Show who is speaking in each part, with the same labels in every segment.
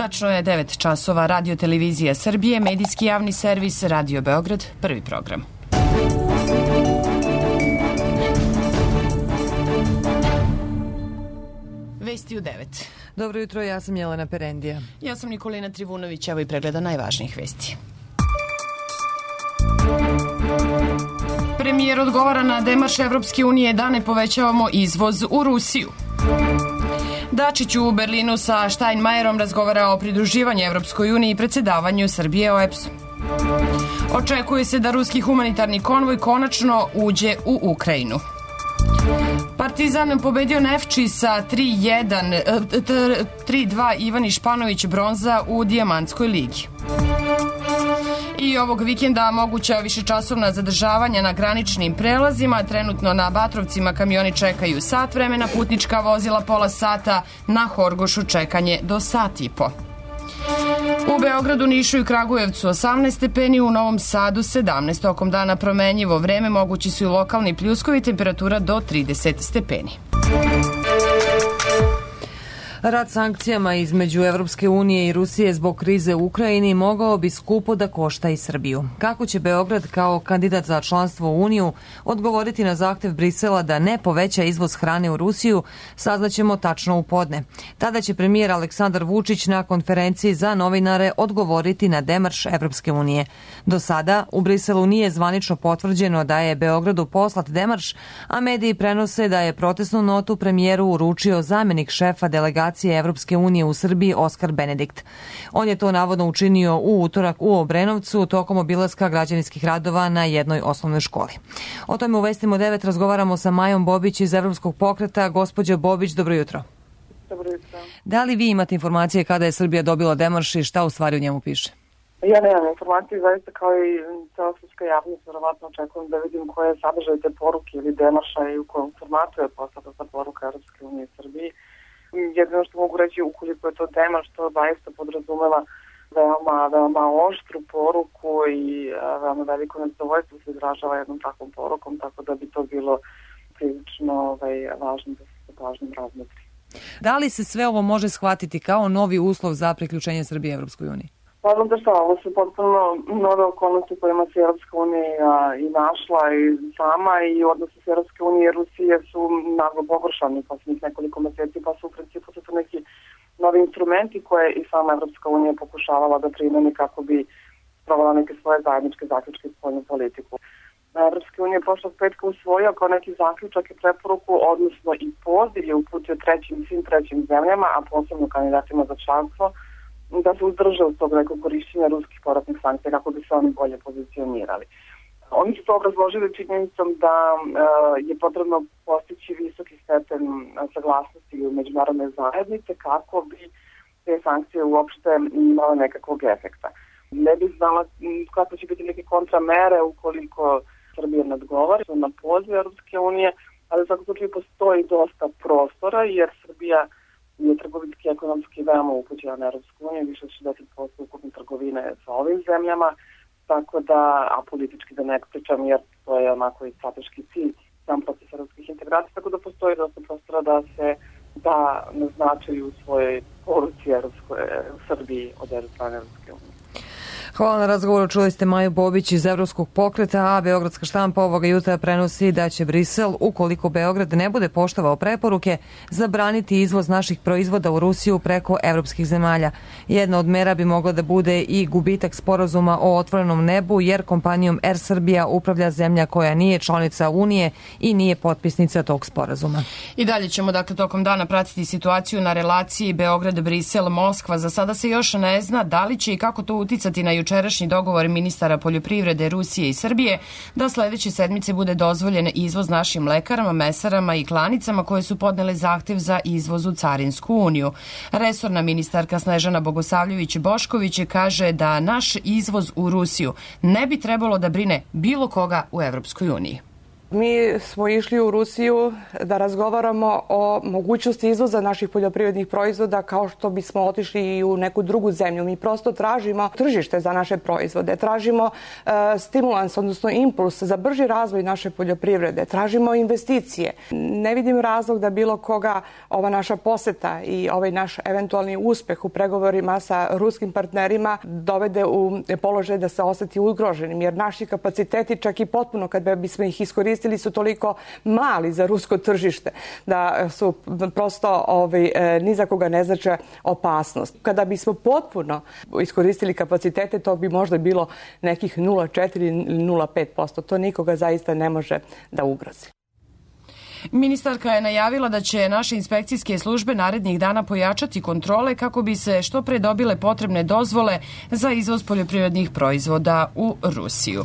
Speaker 1: Tačno je 9 časova. Radio Televizija Srbije, medijski javni servis Radio Beograd, prvi program. Vesti u 9.
Speaker 2: Dobro jutro, ja sam Jelena Perendija.
Speaker 1: Ja sam Nikolina Trivunović, evo i pregleda najvažnijih vesti. Premijer odgovara na demarš Evropske unije da ne povećavamo izvoz u Rusiju. Dačić u Berlinu sa Steinmeierom razgovara o pridruživanju Evropskoj uniji i predsedavanju Srbije OEBS-u. Očekuje se da ruski humanitarni konvoj konačno uđe u Ukrajinu. Partizan pobedio Nefči sa 3-2, Ivan Španović bronza u Dijamantskoj ligi. I ovog vikenda moguća višečasovna zadržavanja na graničnim prelazima. Trenutno na Batrovcima kamioni čekaju sat vremena, putnička vozila pola sata, na Horgošu čekanje do sat i po. U Beogradu, Nišu i Kragujevcu 18 stepeni, u Novom Sadu 17. Tokom dana promenjivo vreme, mogući su i lokalni pljuskovi, temperatura do 30 stepeni.
Speaker 2: Rad sankcijama između Evropske unije i Rusije zbog krize u Ukrajini mogao bi skupo da košta i Srbiju. Kako će Beograd kao kandidat za članstvo u Uniju odgovoriti na zahtev Brisela da ne poveća izvoz hrane u Rusiju, saznaćemo tačno u podne. Tada će premijer Aleksandar Vučić na konferenciji za novinare odgovoriti na demarš Evropske unije. Do sada u Briselu nije zvanično potvrđeno da je Beogradu poslat demarš, a mediji prenose da je protestnu notu premijeru uručio zamenik šefa delegacije Evropske unije u Srbiji Oskar Benedikt. On je to navodno učinio u utorak u Obrenovcu tokom obilaska građevinskih radova na jednoj osnovnoj školi. O tome u Vestima 9 razgovaramo sa Majom Bobić iz Evropskog pokreta. Gospođo Bobić, dobro jutro.
Speaker 3: Dobro jutro.
Speaker 2: Da li vi imate informacije kada je Srbija dobila demarš i šta u stvari u njemu piše?
Speaker 3: Ja nemam informacije, zaista kao i cela srpska javnost, verovatno očekujem da vidim koje je sadržaj te poruke ili demarša i u kojem formatu je poslata ta poruka Evropske unije i Srbiji. Jedino što mogu reći, ukoliko je to demarš, to zaista podrazumeva veoma oštru poruku i veoma veliko nezadovoljstvo se izražava jednom takvom porukom, tako da bi to bilo prilično važno da se pažnjom razmotri.
Speaker 2: Da li se sve ovo može shvatiti kao novi uslov za priključenje Srbije Evropskoj uniji?
Speaker 3: Naravno da šta, ovo su potpuno nove okolnosti kojima se Evropska unija i našla i sama, i odnosi s Evropske unije i Rusije su naglo pogoršani posljednjih nekoliko meseci, pa su u principu to su neki novi instrumenti koje i sama Evropska unija pokušavala da primeni kako bi sprovala neke svoje zajedničke zaključke i spoljnu politiku. Evropska unija je prošlog petka usvojila kao neki zaključak i preporuku, odnosno i poziv je uputio svim trećim zemljama, a posebno kandidatima za članstvo, da se uzdrže od tog nekog korišćenja ruskih povratnih sankcija kako bi se oni bolje pozicionirali. Oni su to obrazložili činjenicom da je potrebno postići visoki stepen saglasnosti u međunarodne zajednice kako bi te sankcije uopšte imale nekakvog efekta. Ne bih znala kako će biti neke kontramere ukoliko Srbija ne odgovori na poziv Europske unije, ali u svakom slučaju postoji dosta prostora jer Srbija je trgovinski i ekonomski veoma upućena na Evropsku uniju, više od 60% ukupne trgovine sa ovim zemljama, tako da, a politički da ne pričam, jer to je onako i strateški cilj sam proces evropskih integracija, tako da postoji dosta prostora da se da naznačaju u svojoj poruci Srbiji od strane Evropske unije.
Speaker 2: Hvala na razgovoru. Čuli ste Maju Bobić iz Evropskog pokreta, a Beogradska štampa ovoga jutra prenosi da će Brisel, ukoliko Beograd ne bude poštovao preporuke, zabraniti izvoz naših proizvoda u Rusiju preko evropskih zemalja. Jedna od mera bi mogla da bude i gubitak sporazuma o otvorenom nebu, jer kompanijom Air Srbija upravlja zemlja koja nije članica Unije i nije potpisnica tog sporazuma.
Speaker 1: I dalje ćemo tokom dana pratiti situaciju na relaciji Beograd-Brisel-Moskva. Za sada se još ne zna da li će i kako to uticati na jučerašnji dogovor ministara poljoprivrede Rusije i Srbije da sledeće sedmice bude dozvoljen izvoz našim mlekarama, mesarama i klanicama koje su podnele zahtev za izvoz u Carinsku uniju. Resorna ministarka Snežana Bogosavljević-Bošković kaže da naš izvoz u Rusiju ne bi trebalo da brine bilo koga u Evropskoj uniji.
Speaker 4: Mi smo išli u Rusiju da razgovaramo o mogućnosti izvoza naših poljoprivrednih proizvoda kao što bismo otišli i u neku drugu zemlju. Mi prosto tražimo tržište za naše proizvode, tražimo stimulans, odnosno impuls za brži razvoj naše poljoprivrede, tražimo investicije. Ne vidim razlog da bilo koga ova naša poseta i ovaj naš eventualni uspeh u pregovorima sa ruskim partnerima dovede u položaj da se oseti ugroženim, jer naši kapaciteti čak i potpuno kad bismo ih iskoristili su toliko mali za rusko tržište da su prosto ni za koga ne znače opasnost. Kada bismo potpuno iskoristili kapacitete, to bi možda bilo nekih 0,4 ili 0,5%. To nikoga zaista ne može da ugrozi.
Speaker 1: Ministarka je najavila da će naše inspekcijske službe narednih dana pojačati kontrole kako bi se što pre dobile potrebne dozvole za izvoz poljoprivrednih proizvoda u Rusiju.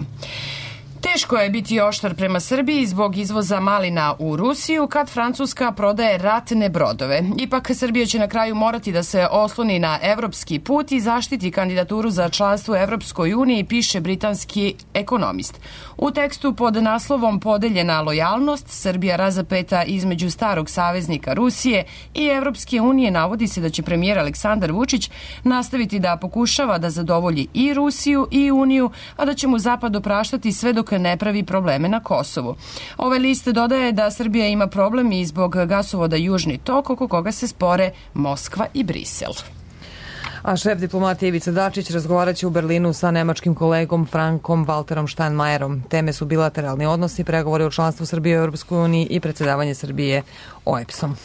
Speaker 1: Teško je biti oštar prema Srbiji zbog izvoza malina u Rusiju kad Francuska prodaje ratne brodove. Ipak Srbija će na kraju morati da se osloni na evropski put i zaštiti kandidaturu za članstvo u Evropskoj uniji, piše britanski ekonomist. U tekstu pod naslovom Podeljena lojalnost, Srbija razapeta između starog saveznika Rusije i Evropske unije navodi se da će premijer Aleksandar Vučić nastaviti da pokušava da zadovolji i Rusiju i Uniju, a da će mu Zapad opraštati sve dok ne pravi probleme na Kosovu. Ovaj list dodaje da Srbija ima problem i zbog gasovoda Južni tok, oko koga se spore Moskva i Brisel.
Speaker 2: A šef diplomatije Ivica Dačić razgovarat će u Berlinu sa nemačkim kolegom Frankom Walterom Steinmeierom. Teme su bilateralni odnosi, pregovori o članstvu Srbije u Europskoj uniji i predsjedavanje Srbije OEBS-om.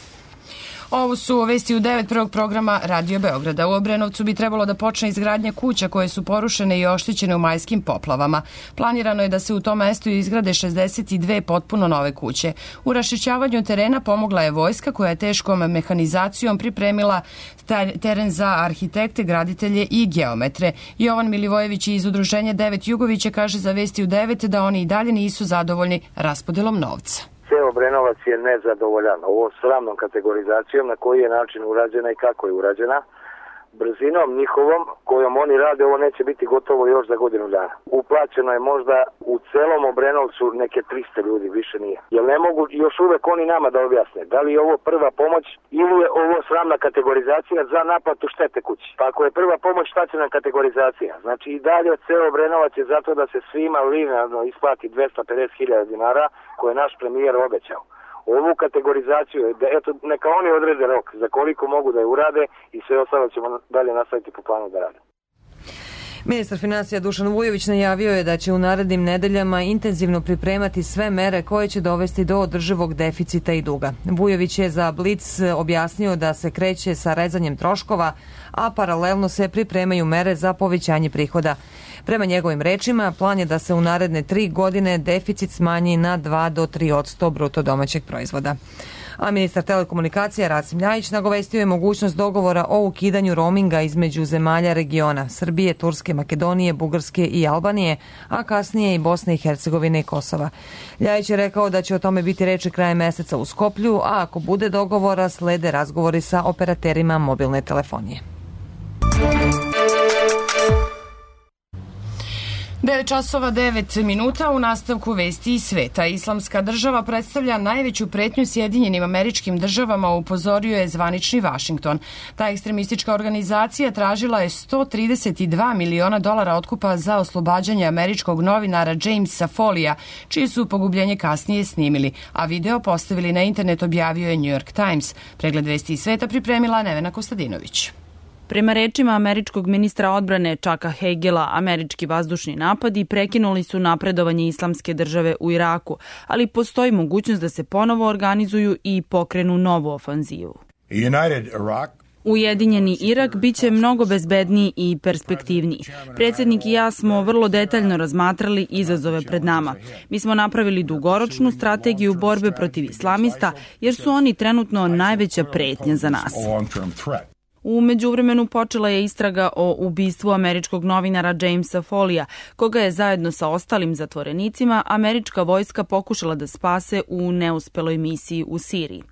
Speaker 1: Ovo su vesti u 9 prvog programa Radio Beograda. U Obrenovcu bi trebalo da počne izgradnja kuća koje su porušene i oštećene u majskim poplavama. Planirano je da se u tom mestu izgrade 62 potpuno nove kuće. U raščišćavanju terena pomogla je vojska koja je teškom mehanizacijom pripremila teren za arhitekte, graditelje i geometre. Jovan Milivojević iz udruženja 9 Jugovića kaže za vesti u 9 da oni i dalje nisu zadovoljni raspodelom novca.
Speaker 5: Ceo Obrenovac je nezadovoljan ovo sramnom kategorizacijom na koji je način urađena i kako je urađena. Brzinom njihovom kojom oni rade ovo neće biti gotovo još za godinu dana. Uplaćeno je možda u celom Obrenovcu neke 300 ljudi, više nije. Jer ne mogu još uvek oni nama da objasne da li je ovo prva pomoć ili je ovo sramna kategorizacija za naplatu štete kući. Pa ako je prva pomoć, šta će nam kategorizacija? Znači i dalje ceo Obrenovac je zato da se svima linearno isplati 250.000 dinara koje je naš premijer obećao. Ovu kategorizaciju, eto, neka oni odrede rok za koliko mogu da je urade i sve ostalo ćemo dalje nastaviti po planu da rade.
Speaker 2: Ministar financija Dušan Vujović najavio je da će u narednim nedeljama intenzivno pripremati sve mere koje će dovesti do održivog deficita i duga. Vujović je za Blic objasnio da se kreće sa rezanjem troškova, a paralelno se pripremaju mere za povećanje prihoda. Prema njegovim rečima, plan je da se u naredne 3 godine deficit smanji na 2 do 3% bruto domaćeg proizvoda. A ministar telekomunikacija Rasim Ljajić nagovestio je mogućnost dogovora o ukidanju roaminga između zemalja regiona Srbije, Turske, Makedonije, Bugarske i Albanije, a kasnije i Bosne i Hercegovine i Kosova. Ljajić je rekao da će o tome biti reči krajem meseca u Skoplju, a ako bude dogovora, slede razgovori sa operaterima mobilne telefonije.
Speaker 1: 9 časova 9 minuta u nastavku vesti iz sveta. Islamska država predstavlja najveću pretnju Sjedinjenim Američkim Državama, upozorio je zvanični Vašington. Ta ekstremistička organizacija tražila je $132 miliona otkupa za oslobađanje američkog novinara Jamesa Folija, čije su pogubljenje kasnije snimili, a video postavili na internet, objavio je New York Times. Pregled vesti iz sveta pripremila Nevena Kostadinović.
Speaker 6: Prema rečima američkog ministra odbrane Chucka Hagela, američki vazdušni napadi prekinuli su napredovanje Islamske države u Iraku, ali postoji mogućnost da se ponovo organizuju i pokrenu novu ofanzivu. Ujedinjeni Irak biće mnogo bezbedniji i perspektivniji. Predsjednik i ja smo vrlo detaljno razmatrali izazove pred nama. Mi smo napravili dugoročnu strategiju borbe protiv islamista, jer su oni trenutno najveća pretnja za nas. U međuvremenu počela je istraga o ubistvu američkog novinara Jamesa Folija, koga je zajedno sa ostalim zatvorenicima američka vojska pokušala da spase u neuspeloj misiji u Siriji.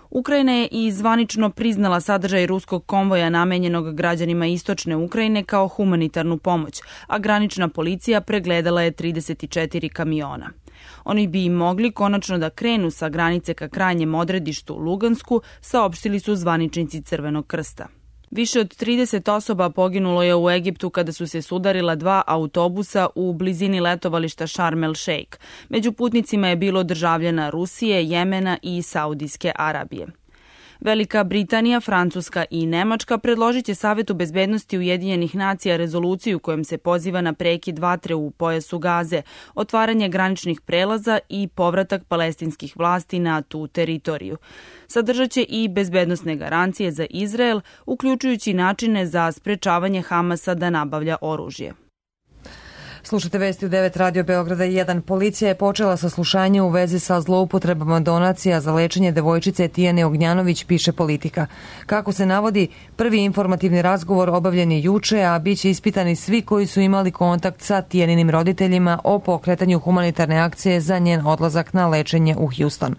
Speaker 6: Ukrajina je i zvanično priznala sadržaj ruskog konvoja namenjenog građanima istočne Ukrajine kao humanitarnu pomoć, a granična policija pregledala je 34 kamiona. Oni bi mogli konačno da krenu sa granice ka krajnjem odredištu Lugansku, saopštili su zvaničnici Crvenog krsta. Više od 30 osoba poginulo je u Egiptu kada su se sudarila 2 autobusa u blizini letovališta Sharm el Sheikh. Među putnicima je bilo državljana Rusije, Jemena i Saudijske Arabije. Velika Britanija, Francuska i Nemačka predložit će Savetu bezbednosti Ujedinjenih nacija rezoluciju kojom se poziva na prekid vatre u pojasu Gaze, otvaranje graničnih prelaza i povratak palestinskih vlasti na tu teritoriju. Sadržat će i bezbednosne garancije za Izrael, uključujući načine za sprečavanje Hamasa da nabavlja oružje.
Speaker 2: Slušate vesti u 9 Radio Beograda 1. Policija je počela saslušanje u vezi sa zloupotrebama donacija za lečenje devojčice Tijane Ognjanović, piše Politika. Kako se navodi, prvi informativni razgovor obavljen je juče, a bit će ispitani svi koji su imali kontakt sa Tijaninim roditeljima o pokretanju humanitarne akcije za njen odlazak na lečenje u Houston.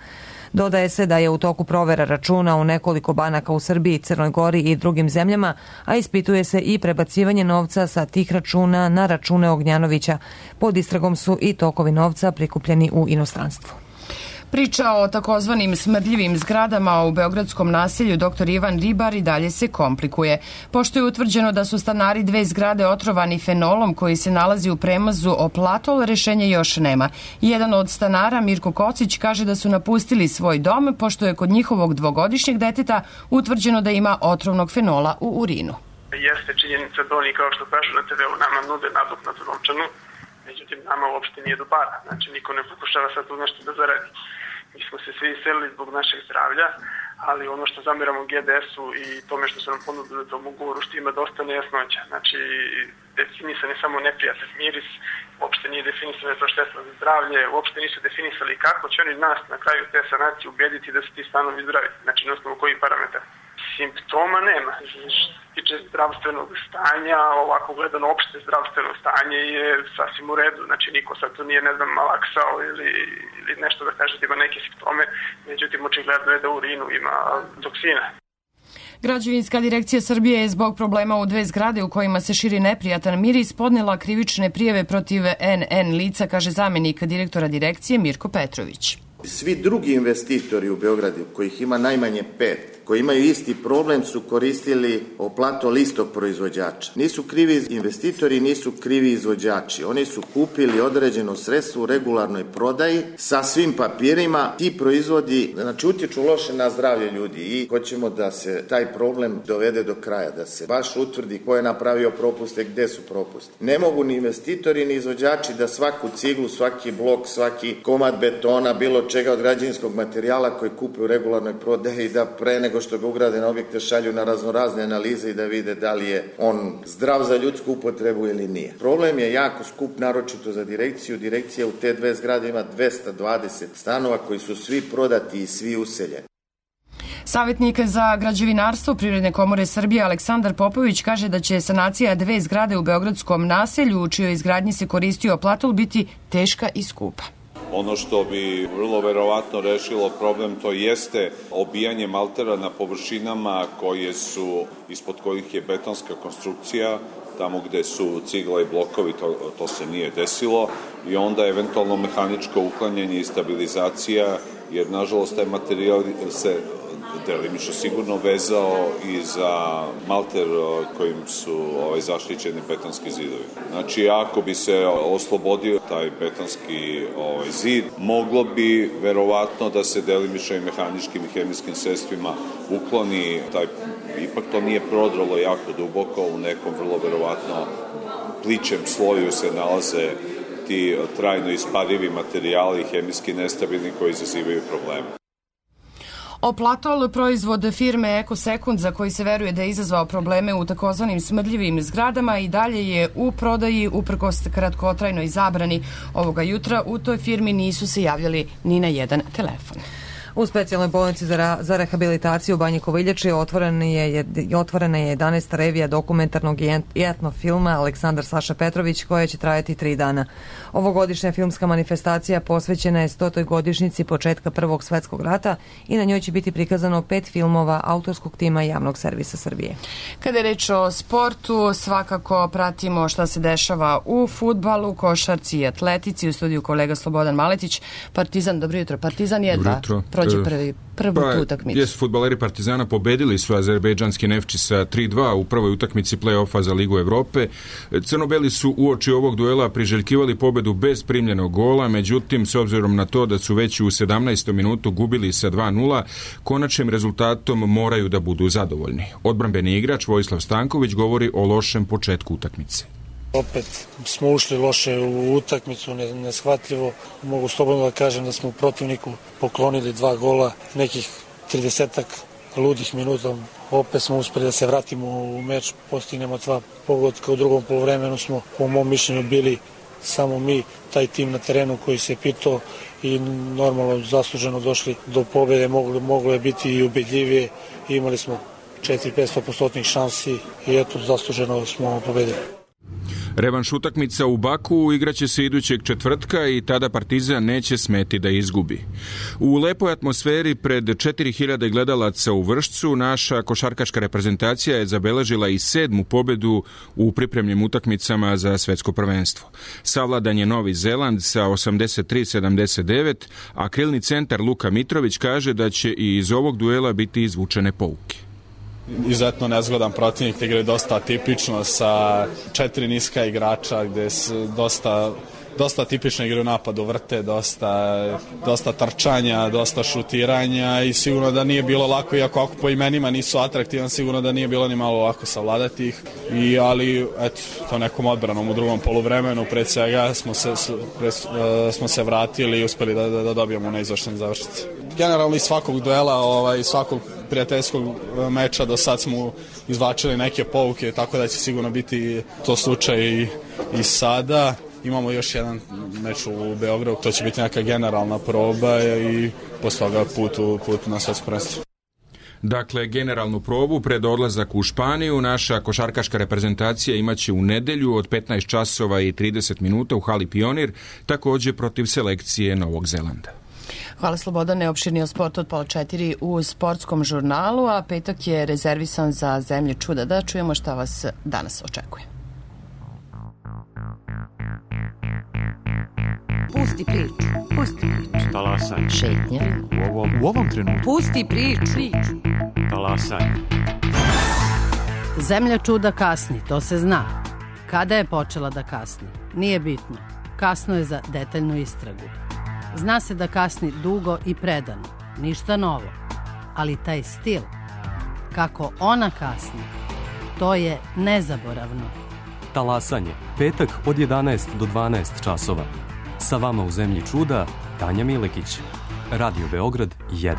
Speaker 2: Dodaje se da je u toku provera računa u nekoliko banaka u Srbiji, Crnoj Gori i drugim zemljama, a ispituje se i prebacivanje novca sa tih računa na račune Ognjanovića. Pod istragom su i tokovi novca prikupljeni u inostranstvu.
Speaker 1: Priča o takozvanim smrdljivim zgradama u beogradskom naselju Dr. Ivan Ribar i dalje se komplikuje. Pošto je utvrđeno da su stanari 2 zgrade otrovani fenolom koji se nalazi u premazu Oplatol, rešenja još nema. Jedan od stanara, Mirko Kocić, kaže da su napustili svoj dom pošto je kod njihovog 2-godišnjeg deteta utvrđeno da ima otrovnog fenola u urinu.
Speaker 7: Jeste činjenica da oni, kao što kažu na TV-u, nama nude nadoknadu novčanu, međutim nama uopšte nije do para. Znači niko ne pokušava sad tu nešto da zaradi. Mi smo se svi iselili zbog našeg zdravlja, ali ono što zamiramo GDS-u i tome što su nam ponudili u tom ugovoru, što ima dosta nejasnoća. Znači, definisan je samo neprijatan miris, uopšte nije definisano to štetno za zdravlje, uopšte nisu definisali kako će oni nas na kraju te sanacije ubediti da se ti stanovi zdravi. Znači, na osnovu kojih parametara. Simptoma nema. Što se tiče zdravstvenog stanja, ovako gledano opšte zdravstveno stanje je sasvim u redu. Znači niko sad tu nije, ne znam, malaksao ili nešto da kaže da ima neke simptome. Međutim, očigledno je da u urinu ima toksina.
Speaker 1: Građevinska direkcija Srbije je zbog problema u 2 zgrade u kojima se širi neprijatan miris podnela krivične prijave protiv NN lica, kaže zamenik direktora direkcije Mirko Petrović.
Speaker 8: Svi drugi investitori u Beogradu, kojih ima najmanje 5, koji imaju isti problem, su koristili Oplatol istog proizvođača. Nisu krivi investitori, nisu krivi izvođači. Oni su kupili određeno sredstvo u regularnoj prodaji sa svim papirima. Ti proizvodi, znači, utječu loše na zdravlje ljudi i hoćemo da se taj problem dovede do kraja, da se baš utvrdi ko je napravio propuste, gde su propuste. Ne mogu ni investitori, ni izvođači da svaku ciglu, svaki blok, svaki komad betona, bilo čega od građevinskog materijala koji kupe u regularnoj prodaji, da pre nego što ga ugrade na objekte šalju na raznorazne analize i da vide da li je on zdrav za ljudsku upotrebu ili nije. Problem je jako skup, naročito za direkciju. Direkcija u te 2 zgrade ima 220 stanova koji su svi prodati i svi useljeni.
Speaker 1: Savjetnik za građevinarstvo Privredne komore Srbije Aleksandar Popović kaže da će sanacija 2 zgrade u beogradskom naselju u čijoj izgradnji se koristio Oplatol biti teška i skupa.
Speaker 9: Ono što bi vrlo verovatno rešilo problem, to jeste obijanje maltera na površinama koje su, ispod kojih je betonska konstrukcija, tamo gde su cigla i blokovi, to se nije desilo, i onda eventualno mehaničko uklanjanje i stabilizacija, jer nažalost taj materijal se delimično sigurno vezao i za malter kojim su zaštićeni betonski zidovi. Znači, ako bi se oslobodio taj betonski zid, moglo bi verovatno da se delimično i mehaničkim i hemijskim sredstvima ukloni taj, ipak to nije prodralo jako duboko, u nekom vrlo verovatno plićem sloju se nalaze ti trajno isparivi materijali, hemijski nestabilni koji izazivaju probleme.
Speaker 1: Oplatol, proizvod firme Ekosekund, za koji se veruje da je izazvao probleme u takozvanim smrdljivim zgradama, i dalje je u prodaji uprkos kratkotrajnoj zabrani. Ovoga jutra u toj firmi nisu se javljali ni na jedan telefon.
Speaker 2: U specijalnoj bolnici za rehabilitaciju u Banji Koviljači otvorena je 11. revija dokumentarnog i etno filma Aleksandar Saša Petrović, koja će trajati 3 dana. Ovogodišnja filmska manifestacija posvećena je 100. godišnjici početka Prvog svetskog rata i na njoj će biti prikazano 5 filmova autorskog tima Javnog servisa Srbije.
Speaker 1: Kada je reč o sportu, svakako pratimo šta se dešava u fudbalu, košarci i atletici. U studiju kolega Slobodan Maletić. Partizan, dobro jutro. Partizan jedva prođe prvu utakmicu.
Speaker 10: Jesu, fudbaleri Partizana pobedili su azerbejdžanski Nefči sa 3-2 u prvoj utakmici play-offa za Ligu Evrope. Crnobeli su uoči ovog duela priželjkivali pobedu bez primljenog gola, međutim, s obzirom na to da su već u 17. minutu gubili sa 2-0, konačnim rezultatom moraju da budu zadovoljni. Odbrambeni igrač Vojislav Stanković govori o lošem početku utakmice.
Speaker 11: Opet smo ušli loše u utakmicu, neshvatljivo. Mogu slobodno da kažem da smo u protivniku poklonili 2 gola, nekih 30-ak ludih minuta. Opet smo uspeli da se vratimo u meč, postignemo 2 pogotka. U drugom poluvremenu smo, po mom mišljenju, bili samo mi, taj tim na terenu koji se pitao i normalno zasluženo došli do pobjede. Moglo je biti i ubedljivije. Imali smo 4-500% šansi i eto, zasluženo smo pobedili.
Speaker 10: Revanš utakmica u Baku igraće se idućeg četvrtka i tada Partizan neće smeti da izgubi. U lepoj atmosferi pred 4000 gledalaca u Vršcu naša košarkaška reprezentacija je zabeležila i 7. pobedu u pripremnim utakmicama za svetsko prvenstvo. Savladan je Novi Zeland sa 83-79, a krilni centar Luka Mitrović kaže da će i iz ovog duela biti izvučene pouke.
Speaker 12: Izuzetno nezgodan protivnik, igraju dosta atipično sa 4 niska igrača gde su dosta tipično igraju napadu, vrte, dosta trčanja, dosta šutiranja i sigurno da nije bilo lako, iako ako po imenima nisu atraktivan, sigurno da nije bilo ni malo lako savladati ih. Ali eto, to nekom odbranom u drugom poluvremenu pred svega smo se vratili i uspeli da dobijemo neizvršene završnice. Generalno iz svakog duela, iz svakog prijateljskog meča do sad smo izvlačili neke pouke, tako da će sigurno biti to slučaj i sada. Imamo još jedan meč u Beogradu, to će biti neka generalna proba i posle toga put na svetsko prvenstvo.
Speaker 10: Dakle, generalnu probu pred odlazak u Španiju naša košarkaška reprezentacija imaće u nedelju od 15 časova i 30 minuta u hali Pionir, također protiv selekcije Novog Zelanda.
Speaker 1: Hvala Slobodane, opširni o sportu od 3:30 u sportskom žurnalu, a petak je rezervisan za Zemlje čuda. Da čujemo šta vas danas očekuje.
Speaker 13: Pusti priču.
Speaker 14: Talasaj.
Speaker 13: Šetnja.
Speaker 14: U ovom trenutku.
Speaker 13: Pusti priču.
Speaker 14: Talasaj.
Speaker 13: Zemlja čuda kasni, to se zna. Kada je počela da kasni? Nije bitno. Kasno je za detaljnu istragu. Zna se da kasni dugo i predano. Ništa novo. Ali taj stil, kako ona kasni, to je nezaboravno.
Speaker 15: Talasanje. Petak od 11 do 12 časova. Sa vama u Zemlji čuda, Tanja Milekić. Radio Beograd 1.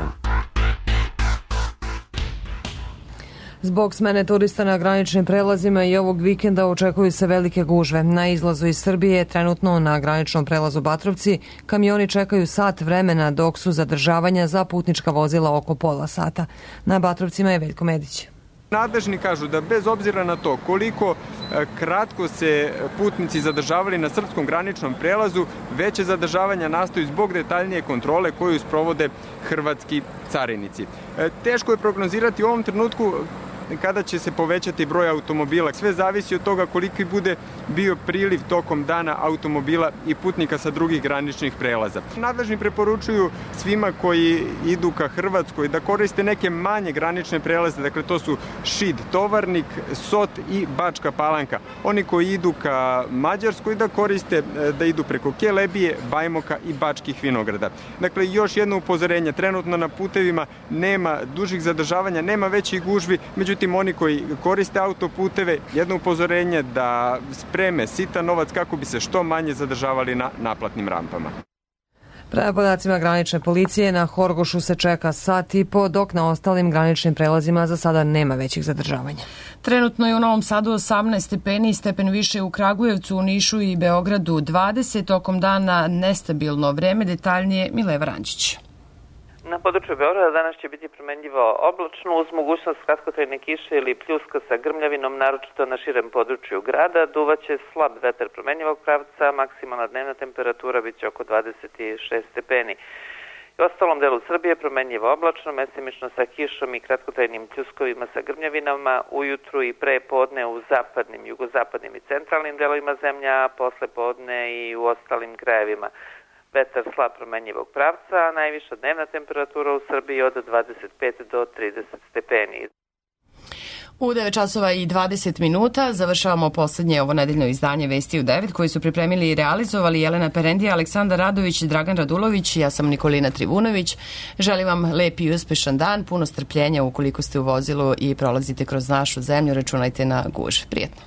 Speaker 2: Zbog smene turista na graničnim prelazima i ovog vikenda očekuju se velike gužve. Na izlazu iz Srbije, trenutno na graničnom prelazu Batrovci, kamioni čekaju sat vremena dok su zadržavanja za putnička vozila oko pola sata. Na Batrovcima je Veljko Medić.
Speaker 16: Nadležni kažu da bez obzira na to koliko kratko se putnici zadržavali na srpskom graničnom prelazu, veće zadržavanja nastaju zbog detaljnije kontrole koju sprovode hrvatski carinici. Teško je prognozirati u ovom trenutku kada će se povećati broj automobila. Sve zavisi od toga koliki bude bio priliv tokom dana automobila i putnika sa drugih graničnih prelaza. Nadležni preporučuju svima koji idu ka Hrvatskoj da koriste neke manje granične prelaze, dakle to su Šid, Tovarnik, Sot i Bačka Palanka. Oni koji idu ka Mađarskoj da koriste, da idu preko Kelebije, Bajmoka i Bačkih Vinograda. Dakle, još jedno upozorenje, trenutno na putevima nema dužih zadržavanja, nema većih gužvi, međutim oni koji koriste autoputeve, jedno upozorenje da spreme sitan novac kako bi se što manje zadržavali na naplatnim rampama.
Speaker 2: Prema podacima granične policije, na Horgošu se čeka sat i po, dok na ostalim graničnim prelazima za sada nema većih zadržavanja.
Speaker 1: Trenutno je u Novom Sadu 18 stepeni, stepen više u Kragujevcu, u Nišu i Beogradu 20, tokom dana nestabilno vreme, detaljnije Mileva Rančić.
Speaker 17: Na području Beograda danas će biti promenljivo oblačno uz mogućnost kratkotrajne kiše ili pljuska sa grmljavinom, naročito na širem području grada. Duvaće slab vetar promenljivog pravca, maksimalna dnevna temperatura biće oko 26 stepeni. U ostalom delu Srbije promenljivo oblačno, mestimično sa kišom i kratkotrajnim pljuskovima sa grmljavinama, ujutru i pre podne u zapadnim, jugozapadnim i centralnim delovima zemlja, a posle podne i u ostalim krajevima. Vetar slab promenljivog pravca, a najviša dnevna temperatura u Srbiji od 25 do 30 stepeni.
Speaker 1: U 9 časova i 20 minuta završavamo poslednje ovo nedeljno izdanje Vesti u 9 koji su pripremili i realizovali Jelena Perendija, Aleksandar Radović, Dragan Radulović, ja sam Nikolina Trivunović. Želim vam lep i uspešan dan, puno strpljenja ukoliko ste u vozilu i prolazite kroz našu zemlju, računajte na gužve. Prijetno.